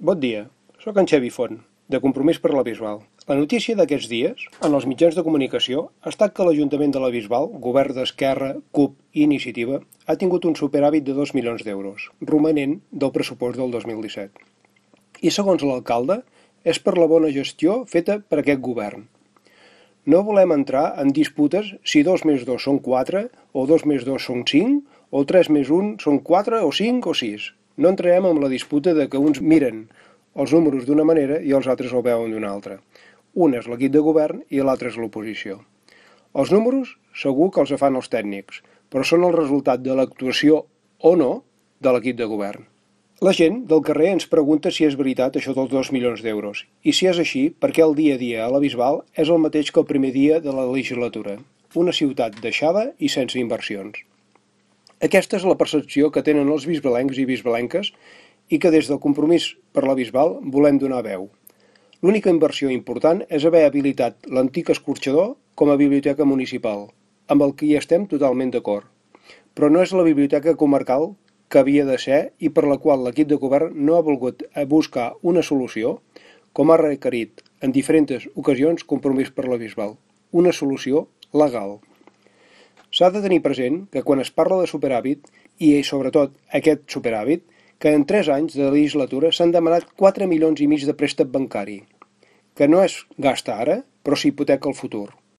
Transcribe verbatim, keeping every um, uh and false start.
Bon dia, sóc en Xavi Font, de Compromís per la Bisbal. La notícia d'aquests dies, en els mitjans de comunicació, ha estat que l'Ajuntament de la Bisbal, govern d'Esquerra, CUP i Iniciativa, ha tingut un superàvit de dos milions d'euros, romanent del pressupost del dos mil disset. I segons l'alcalde, és per la bona gestió feta per aquest govern. No volem entrar en disputes si dos més dos són quatre, o dos més dos són cinc, o tres més un són quatre, o cinc, o sis. No entrarem en la disputa de que uns miren els números d'una manera i els altres el veuen d'una altra. Un és l'equip de govern i l'altre és l'oposició. Els números segur que els fan els tècnics, però són el resultat de l'actuació o no de l'equip de govern. La gent del carrer ens pregunta si és veritat això dels dos milions d'euros, i si és així, perquè el dia a dia a la Bisbal és el mateix que el primer dia de la legislatura, una ciutat deixada i sense inversions. Aquesta és la percepció que tenen els bisbalencs i bisbalenques i que des del Compromís per la Bisbal volem donar veu. L'única inversió important és haver habilitat l'antic escorxador com a biblioteca municipal, amb el que hi estem totalment d'acord. Però no és la biblioteca comarcal que havia de ser i per la qual l'equip de govern no ha volgut buscar una solució, com ha requerit en diferents ocasions Compromís per la Bisbal, una solució legal. S'ha de tenir present que quan es parla de superàvit, i sobretot aquest superàvit, que en tres anys de legislatura s'han demanat quatre milions i mig de préstec bancari, que no es gasta ara, però s'hipoteca el futur.